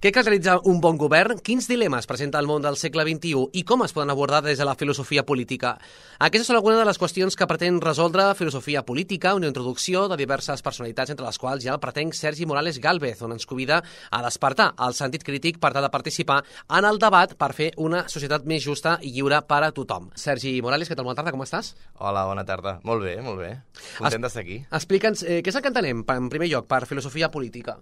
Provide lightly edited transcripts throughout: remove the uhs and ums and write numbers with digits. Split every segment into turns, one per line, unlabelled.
Què caracteritza un bon govern? Quins dilemes presenta el món del segle XXI i com es poden abordar des de la filosofia política? Aquestes són algunes de les qüestions que pretén resoldre Filosofia Política, una introducció de diverses personalitats, entre les quals hi ha el pretenc Sergi Morales Gálvez, on ens convida a despertar el sentit crític per tal de participar en el debat per fer una societat més justa i lliure per a tothom. Sergi Morales, què tal? Bona tarda, com estàs?
Hola, bona tarda. Molt bé, molt bé. Content d'estar aquí.
Explica'ns, què és el que entenem, en primer lloc, per filosofia política?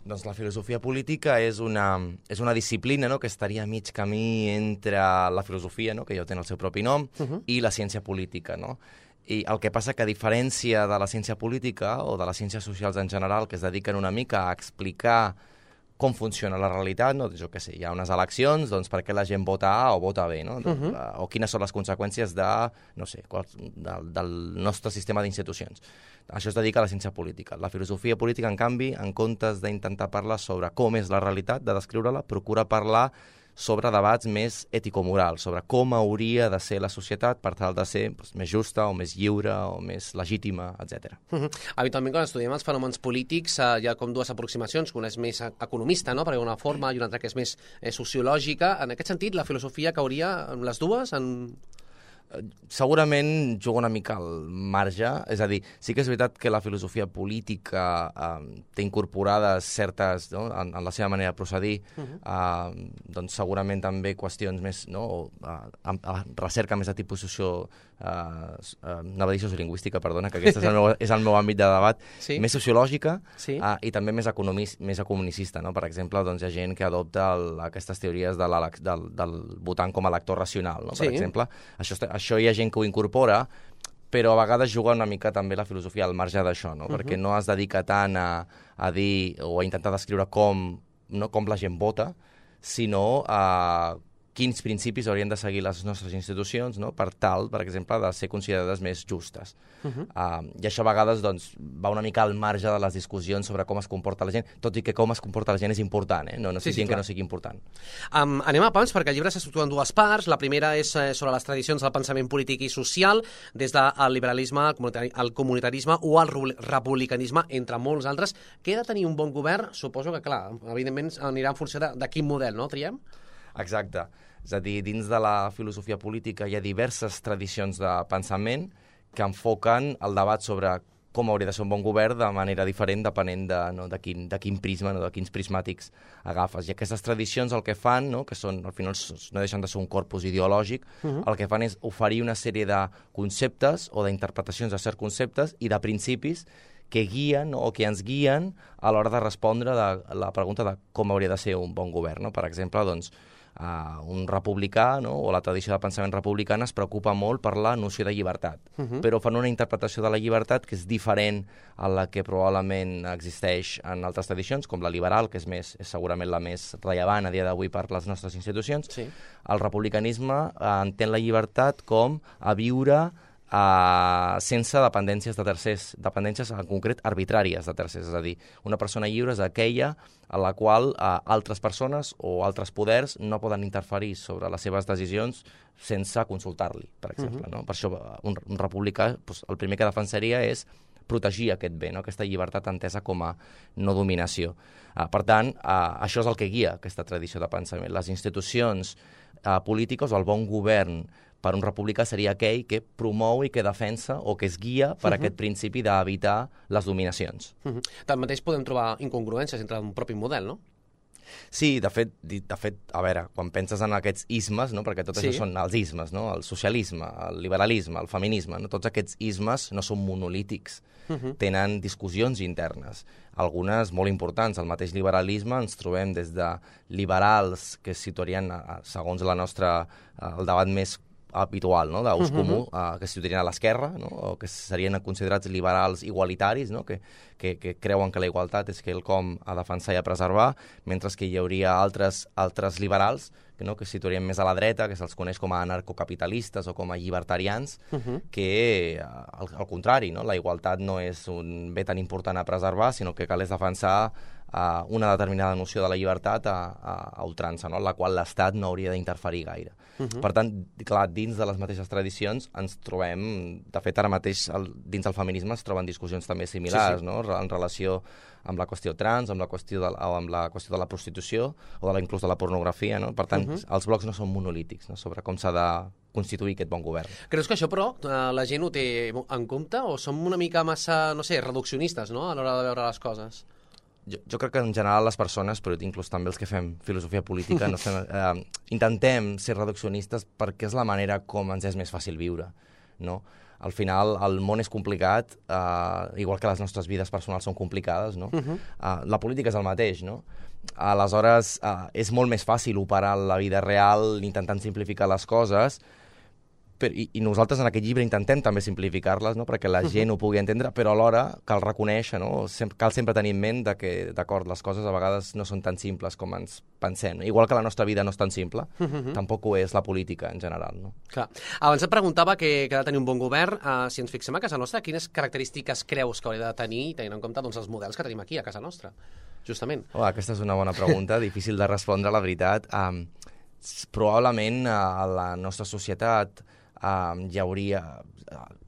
Doncs la filosofia política és una disciplina, no?, que estaria a mig camí entre la filosofia, no?, que ja té el seu propi nom, i la ciència política, no? I el que passa que, a diferència de la ciència política o de les ciències socials en general, que es dediquen una mica a explicar com funciona la realitat, no? Jo què sé, hi ha unes eleccions, doncs per què la gent vota A o vota B, no? O quines són les conseqüències de, no sé, del nostre sistema d'institucions. Això es dedica a la ciència política. La filosofia política, en canvi, en comptes d'intentar parlar sobre com és la realitat, de descriure-la, procura parlar sobre debats més ètico-morals, sobre com hauria de ser la societat per tal de ser més justa o més lliure o més legítima, etc.
Habitualment, quan estudiem els fenòmens polítics, hi ha com dues aproximacions, una és més economista, no?, per alguna forma, i una altra que és més sociològica. En aquest sentit, la filosofia cauria en les dues?
Segurament juga una mica al marge, és a dir, sí que és veritat que la filosofia política té incorporades certes, no?, en la seva manera de procedir, doncs segurament també qüestions més, no?, recerca més de tipus anava a dir sociolingüística, perdona, que aquest és el meu àmbit de debat, més sociològica i també més economicista, no? Per exemple, doncs hi ha gent que adopta aquestes teories del votant com a lector racional, no? Per exemple, això hi ha gent que ho incorpora, però a vegades juga una mica també la filosofia al marge d'això, no? Perquè no es dedica tant a dir o a intentar descriure com la gent vota, sinó a quins principis haurien de seguir les nostres institucions, no?, per tal, per exemple, de ser considerades més justes. I això a vegades doncs, va una mica al marge de les discussions sobre com es comporta la gent, tot i que com es comporta la gent és important, no estic dient que no sigui important.
Anem a pams, perquè el llibre s'estructura en dues parts. La primera és sobre les tradicions del pensament polític i social, des del liberalisme, el comunitarisme o el republicanisme, entre molts altres. Què ha de tenir un bon govern? Suposo que, clar, evidentment anirà en funció de quin model, no, triem?
Exacte. És a dir, dins de la filosofia política hi ha diverses tradicions de pensament que enfoquen el debat sobre com hauria de ser un bon govern de manera diferent depenent de quin prisma, de quins prismàtics agafes. I aquestes tradicions el que fan, que són, al final no deixen de ser un corpus ideològic, el que fan és oferir una sèrie de conceptes o d'interpretacions de certs conceptes i de principis que guien o que ens guien a l'hora de respondre la pregunta de com hauria de ser un bon govern. Per exemple, doncs, un republicà, o la tradició de pensament republicana es preocupa molt per la noció de llibertat, però fan una interpretació de la llibertat que és diferent a la que probablement existeix en altres tradicions, com la liberal, que és segurament la més rellevant a dia d'avui per les nostres institucions. El republicanisme entén la llibertat com a viure sense dependències de tercers, dependències en concret arbitràries de tercers, és a dir, una persona lliure és aquella a la qual altres persones o altres poders no poden interferir sobre les seves decisions sense consultar-li, per exemple. Per això un republicà, el primer que defensaria és protegir aquest bé, aquesta llibertat entesa com a no dominació. Per tant, això és el que guia aquesta tradició de pensament. Les institucions polítiques o el bon govern per un republicà seria aquell que promou i que defensa o que es guia per aquest principi d'evitar les dominacions.
Tanmateix podem trobar incongruències entre un propi model, no?
Sí, de fet, a veure, quan penses en aquests ismes, perquè tot això són els ismes, el socialisme, el liberalisme, el feminisme, tots aquests ismes no són monolítics, tenen discussions internes, algunes molt importants. Al mateix liberalisme ens trobem des de liberals que es situarien, segons el debat més habitual, d'ús comú, que es situarien a l'esquerra, o que serien considerats liberals igualitaris, que creuen que la igualtat és quelcom a defensar i a preservar, mentre que hi hauria altres liberals que es situarien més a la dreta, que se'ls coneix com a anarcocapitalistes o com a llibertarians, que, al contrari, la igualtat no és un bé tan important a preservar, sinó que cal és defensar una determinada noció de la llibertat a ultrança, no? En la qual l'Estat no hauria d'interferir gaire. Per tant, clar, dins de les mateixes tradicions ens trobem, de fet ara mateix dins del feminisme es troben discussions també similars, no? En relació amb la qüestió trans, amb la qüestió de la prostitució o inclús de la pornografia, no? Per tant, els blocs no són monolítics, no? Sobre com s'ha de constituir aquest bon govern.
Creus que això, però, la gent ho té en compte o som una mica massa, no sé, reduccionistes, no?, a l'hora de veure les coses?
Jo crec que en general les persones, però inclús també els que fem filosofia política, intentem ser reduccionistes perquè és la manera com ens és més fàcil viure, no? Al final, el món és complicat, igual que les nostres vides personals són complicades, no? La política és el mateix, no? Aleshores, és molt més fàcil operar la vida real intentant simplificar les coses, i nosaltres en aquest llibre intentem també simplificar-les, no? Perquè la gent ho pugui entendre, però alhora cal reconèixer, no? Cal sempre tenir en ment que, d'acord, les coses a vegades no són tan simples com ens pensem. Igual que la nostra vida no és tan simple, tampoc ho és la política en general, no?
Clar. Abans et preguntava que ha de tenir un bon govern. Si ens fixem a casa nostra, quines característiques creus que hauria de tenir, tenint en compte doncs, els models que tenim aquí a casa nostra, justament?
Aquesta és una bona pregunta, difícil de respondre, la veritat. Probablement a la nostra societat hi hauria,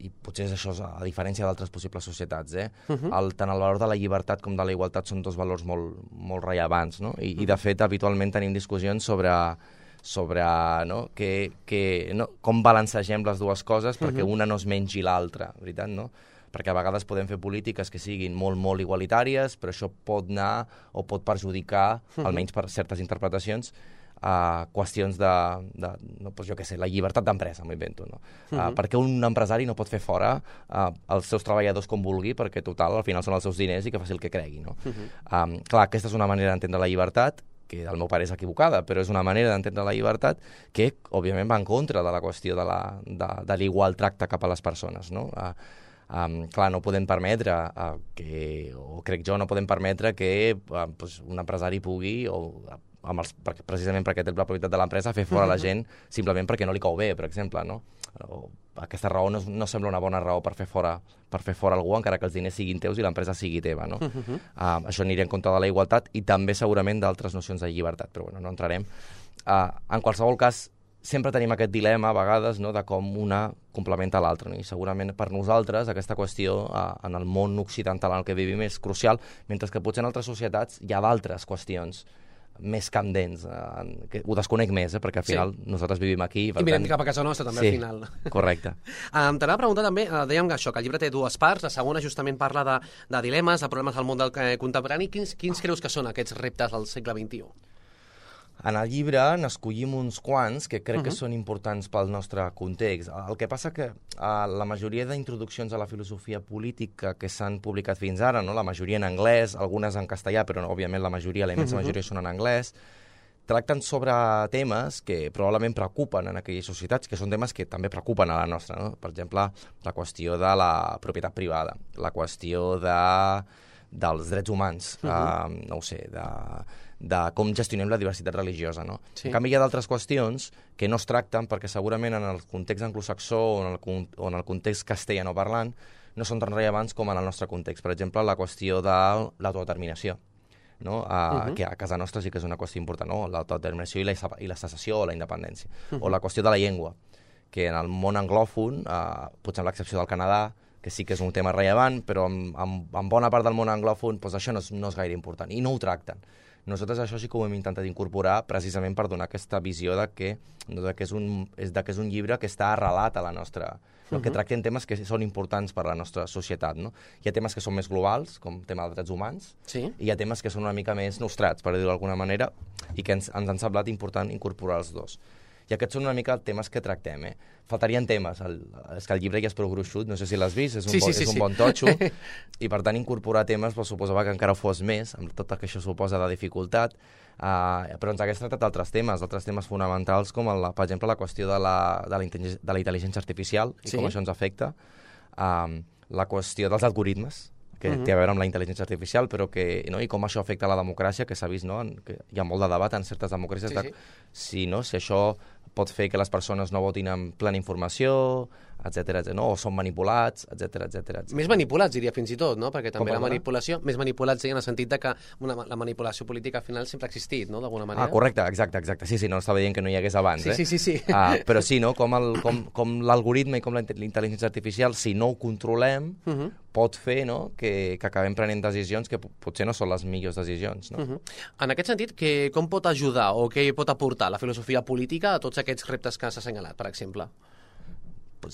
i potser és això a diferència d'altres possibles societats, tant el valor de la llibertat com de la igualtat són dos valors molt, molt rellevants, no? I de fet, habitualment tenim discussions sobre no? Com balancegem les dues coses perquè una no es mengi l'altra, veritat, no? Perquè a vegades podem fer polítiques que siguin molt, molt igualitàries, però això pot anar o pot perjudicar, almenys per certes interpretacions, qüestions jo què sé, la llibertat d'empresa, m'ho invento, no? Perquè un empresari no pot fer fora els seus treballadors com vulgui, perquè total, al final són els seus diners i que faci el que cregui, no? Clar, aquesta és una manera d'entendre la llibertat, que al meu pare és equivocada, però és una manera d'entendre la llibertat que, òbviament, va en contra de la qüestió de l'igual tracte cap a les persones, no? Clar, no podem permetre no podem permetre que un empresari pugui, precisament perquè té la propietat de l'empresa, fer fora la gent simplement perquè no li cau bé, per exemple, no? Aquesta raó no sembla una bona raó per fer fora algú, encara que els diners siguin teus i l'empresa sigui teva, no? Això aniria en contra de la igualtat i també segurament d'altres nocions de llibertat, però bueno, no entrarem. En qualsevol cas, sempre tenim aquest dilema a vegades, no?, de com una complementa l'altra, no? I segurament per nosaltres aquesta qüestió en el món occidental en el que vivim és crucial, mentre que potser en altres societats hi ha d'altres qüestions més candents, que ho desconec més, perquè al final nosaltres vivim aquí.
I mirem cap a casa nostra també, al final.
Correcte.
T'anava a preguntar també, dèiem això, que el llibre té dues parts, la segona justament parla de dilemes, de problemes del món del contemporani. Quins creus que són aquests reptes del segle XXI?
En el llibre n'escollim uns quants que crec que són importants pel nostre context. El que passa que la majoria d'introduccions a la filosofia política que s'han publicat fins ara, no? La majoria en anglès, algunes en castellà, però òbviament la immensa majoria són en anglès, tracten sobre temes que probablement preocupen en aquelles societats, que són temes que també preocupen a la nostra, no? Per exemple, la qüestió de la propietat privada, la qüestió dels drets humans, no ho sé, de com gestionem la diversitat religiosa, no? En canvi, hi ha d'altres qüestions que no es tracten perquè segurament en el context anglosaxó o en el context castellanoparlant no són tan rellevants com en el nostre context. Per exemple, la qüestió de l'autodeterminació, no? Que a casa nostra sí que és una qüestió important, no? L'autodeterminació i la secessió o la independència. O la qüestió de la llengua, que en el món anglòfon, potser amb l'excepció del Canadà, que sí que és un tema rellevant, però en bona part del món anglòfon això no és gaire important, i no ho tracten. Nosaltres això sí que ho hem intentat incorporar precisament per donar aquesta visió de que és un llibre que està arrelat a la nostra, que tracten temes que són importants per a la nostra societat, no? Hi ha temes que són més globals, com el tema dels drets humans, i hi ha temes que són una mica més nostrats, per dir-ho d'alguna manera, i que ens han semblat important incorporar els dos. I aquests són una mica temes que tractem, Faltarien temes. És que el llibre ja és prou gruixut, no sé si l'has vist, és un bon totxo, i per tant incorporar temes suposava que encara fos més, amb tot el que això suposa de dificultat, però ens hagués tractat altres temes fonamentals, com per exemple la qüestió de la intel·ligència artificial i com això ens afecta, la qüestió dels algoritmes, que té a veure amb la intel·ligència artificial, però i com això afecta la democràcia, que s'ha vist, no? Que hi ha molt de debat en certes democràcies si això pot fer que les persones no votin amb plena informació, etcètera, no? O són manipulats, etcètera.
Més manipulats, diria, fins i tot, no? Perquè també la
perdona?
manipulació... Més manipulats, en el sentit de que la manipulació política al final sempre ha existit, no?, d'alguna manera.
Correcte, exacte. Sí, no estava dient que no hi hagués abans,
Sí.
Però sí, no? Com l'algoritme i com la intel·ligència artificial, si no ho controlem, pot fer, no?, que acabem prenent decisions que potser no són les millors decisions, no?
En aquest sentit, com pot ajudar o què pot aportar la filosofia política a tots aquests reptes que s'ha assenyalat, per exemple?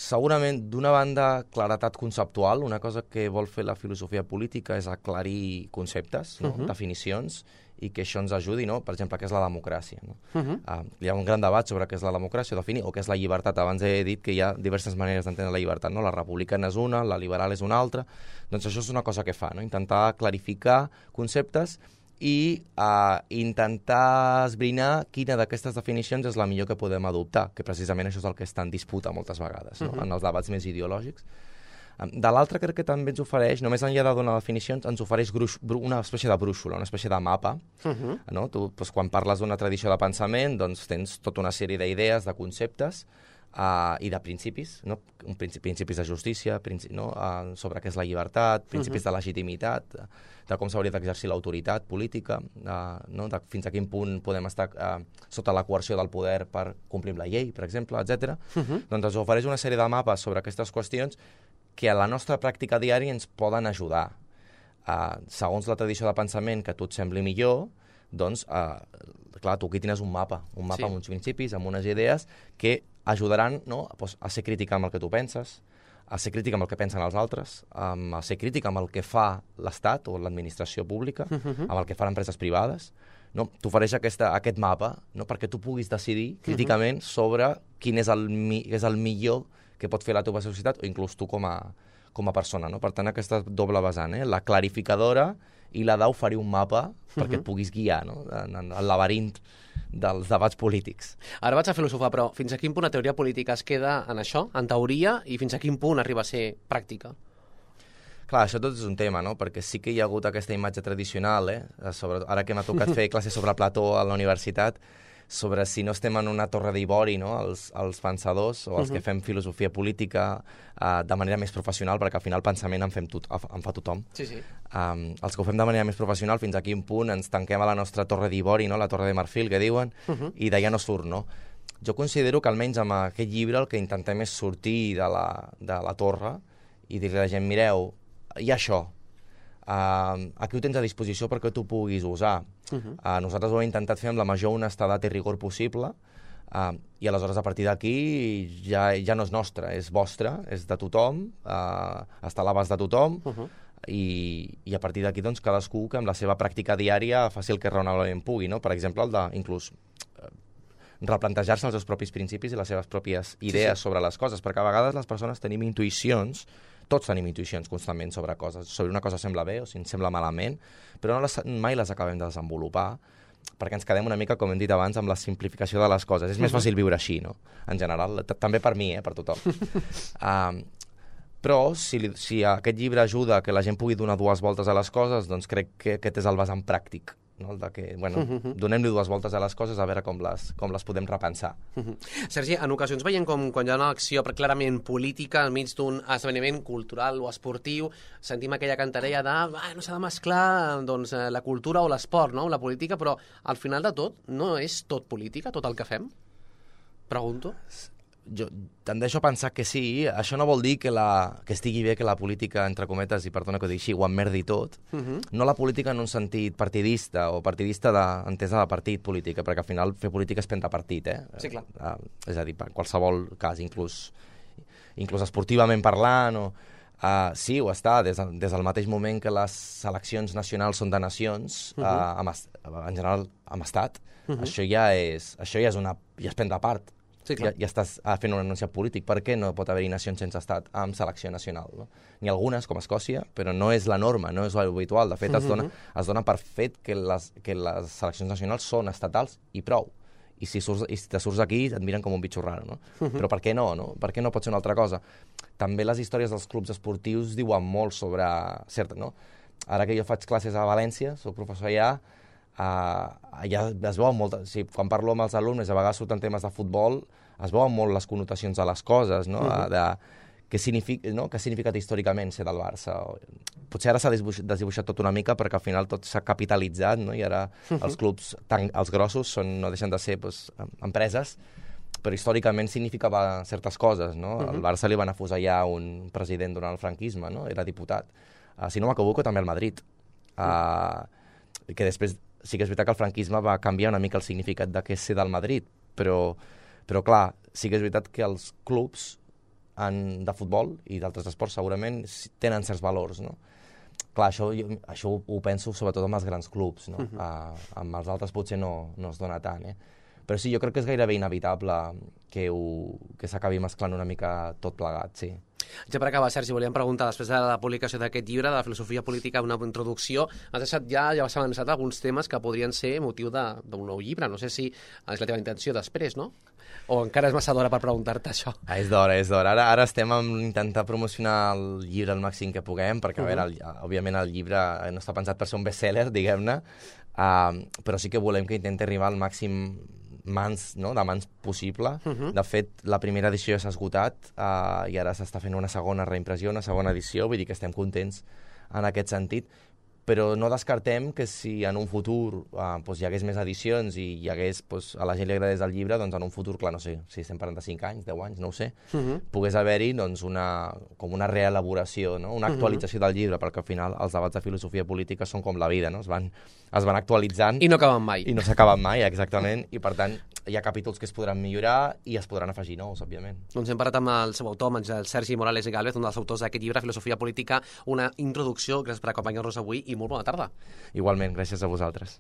Segurament, d'una banda, claretat conceptual. Una cosa que vol fer la filosofia política és aclarir conceptes, no? Definicions, i que això ens ajudi, no? Per exemple, què és la democràcia, no? Hi ha un gran debat sobre què és la democràcia, definir, o què és la llibertat. Abans he dit que hi ha diverses maneres d'entendre la llibertat, no? La republicana és una, la liberal és una altra. Doncs això és una cosa que fa, no? Intentar clarificar conceptes i intentar esbrinar quina d'aquestes definicions és la millor que podem adoptar, que precisament això és el que està en disputa moltes vegades, no? En els debats més ideològics. De l'altra, crec que també ens ofereix, només enllà de donar definicions, ens ofereix una espècie de brúixola, una espècie de mapa. No? Tu, doncs, quan parles d'una tradició de pensament, doncs tens tota una sèrie d'idees, de conceptes, i de principis, no? Principis de justícia, no? Sobre què és la llibertat, principis de legitimitat, de com s'hauria d'exercir l'autoritat política, no? De fins a quin punt podem estar sota la coerció del poder per complir la llei, per exemple, etc. Doncs ens ofereix una sèrie de mapes sobre aquestes qüestions que a la nostra pràctica diària ens poden ajudar. Segons la tradició de pensament que a tu et sembli millor, doncs, clar, tu aquí tens un mapa amb uns principis, amb unes idees que ajudaran, no?, a ser crític amb el que tu penses, a ser crític amb el que pensen els altres, a ser crític amb el que fa l'Estat o l'administració pública, amb el que fan empreses privades. No? T'ofereix aquest mapa, no?, perquè tu puguis decidir críticament sobre quin és el millor que pot fer la teva societat o inclús tu com a persona. No? Per tant, aquesta doble vessant, la clarificadora i la d'oferir un mapa perquè et puguis guiar, no?, en el laberint dels debats polítics.
Ara vaig a filosofar, però fins a quin punt la teoria política es queda en això, en teoria, i fins a quin punt arriba a ser pràctica?
Clar, això tot és un tema, no? Perquè sí que hi ha hagut aquesta imatge tradicional, ara que m'ha tocat fer classes sobre Plató a la universitat, sobre si no estem en una torre d'ivori, no?, els pensadors o els que fem filosofia política de manera més professional, perquè al final el pensament en fa tothom.
Sí.
Els que ho fem de manera més professional, fins a quin punt ens tanquem a la nostra torre d'ivori, no?, la torre de marfil, que diuen, i d'allà no surt, no? Jo considero que almenys amb aquest llibre el que intentem és sortir de la torre i dir-li a la gent, mireu, hi ha això, aquí ho tens a disposició perquè tu puguis usar. Nosaltres ho hem intentat fer amb la major honestedat i rigor possible, i aleshores a partir d'aquí ja no és nostre, és vostre, és de tothom, està a l'abast de tothom, i a partir d'aquí doncs, cadascú que amb la seva pràctica diària faci el que raonablement pugui, no? Per exemple, el d'inclús replantejar-se els seus propis principis i les seves pròpies idees sobre les coses, perquè a vegades les persones tenim intuïcions, tots tenim intuïcions constantment sobre coses, sobre una cosa sembla bé o si ens sembla malament, però mai les acabem de desenvolupar, perquè ens quedem una mica, com hem dit abans, amb la simplificació de les coses. És més fàcil viure així, no?, en general, també per mi, per tothom. Però si aquest llibre ajuda que la gent pugui donar dues voltes a les coses, doncs crec que aquest és el vessant pràctic, no? El de que, donem-li dues voltes a les coses a veure com les podem repensar.
Sergi, en ocasions veiem com quan hi ha una acció clarament política enmig d'un esdeveniment cultural o esportiu, sentim aquella cantarella de no s'ha de mesclar doncs, la cultura o l'esport, no?, la política, però al final de tot no és tot política, tot el que fem? Pregunto.
Jo tendeixo a pensar que sí. Això no vol dir que estigui bé que la política, entre cometes, i perdona que ho digui així, ho emmerdi tot. No la política en un sentit partidista o partidista entesa de partit política, perquè al final fer política és prendre partit,
Sí, clar.
És a dir, per qualsevol cas, inclús esportivament parlant, sí, ho està, des del mateix moment que les seleccions nacionals són de nacions, en general amb estat, això ja és prendre part.
Sí,
ja estàs fent un enunciat polític. Per què no pot haver-hi nacions sense estat amb selecció nacional? No? N'hi ha algunes, com Escòcia, però no és la norma, no és l'habitual. De fet, es dona per fet que les seleccions nacionals són estatals i prou. I si te surts aquí et miren com un bitxo raro. No? Però per què no? Per què no pot ser una altra cosa? També les històries dels clubs esportius diuen molt sobre... no? Ara que jo faig classes a València, soc professor allà, ja es veuen molt... Sí, quan parlo amb els alumnes, a vegades surten temes de futbol, es veuen molt les connotacions de les coses, no? Què ha significat històricament ser del Barça. Potser ara s'ha desdibuixat tot una mica perquè al final tot s'ha capitalitzat, no? I ara els clubs, els grossos, no deixen de ser empreses, però històricament significava certes coses, no? Al Barça li van afusellar un president durant el franquisme, no? Era diputat. Si no m'equivoco, també al Madrid. Que després sí que és veritat que el franquisme va canviar una mica el significat de què és ser del Madrid, però clar, sí que és veritat que els clubs de futbol i d'altres esports segurament tenen certs valors, no? Clar, això ho penso sobretot amb els grans clubs, no? Amb els altres potser no es dona tant, Però sí, jo crec que és gairebé inevitable que s'acabi mesclant una mica tot plegat, sí.
Ja per acabar, Sergi, volíem preguntar, després de la publicació d'aquest llibre, de la filosofia política, una introducció, has deixat ja has avançat alguns temes que podrien ser motiu d'un nou llibre. No sé si és la teva intenció després, no? O encara és massa d'hora per preguntar-te això?
És d'hora. Ara estem a intentar promocionar el llibre al màxim que puguem, perquè, a veure, òbviament el llibre no està pensat per ser un bestseller, diguem-ne, però sí que volem que intenti arribar al màxim de mans possible. De fet, la primera edició ja s'ha esgotat i ara s'està fent una segona reimpressió, una segona edició, vull dir que estem contents en aquest sentit, però no descartem que si en un futur hi hagués més edicions i hi hagués, a la gent li agradés el llibre, doncs en un futur, clar, no sé, si estem parlant de 5 anys, 10 anys, no ho sé, pogués haver-hi com una reelaboració, una actualització del llibre, perquè al final els debats de filosofia política són com la vida, no? Es van actualitzant...
I no acaben mai.
I no s'acaben mai, exactament, i per tant hi ha capítols que es podran millorar i es podran afegir nous, òbviament.
Doncs hem parlat amb el seu autor, amb el Sergi Morales i Gálvez, un dels autors d'aquest llibre, Filosofia Política, una introducció. Gràcies per acompanyar-nos avui i molt bona tarda.
Igualment, gràcies a vosaltres.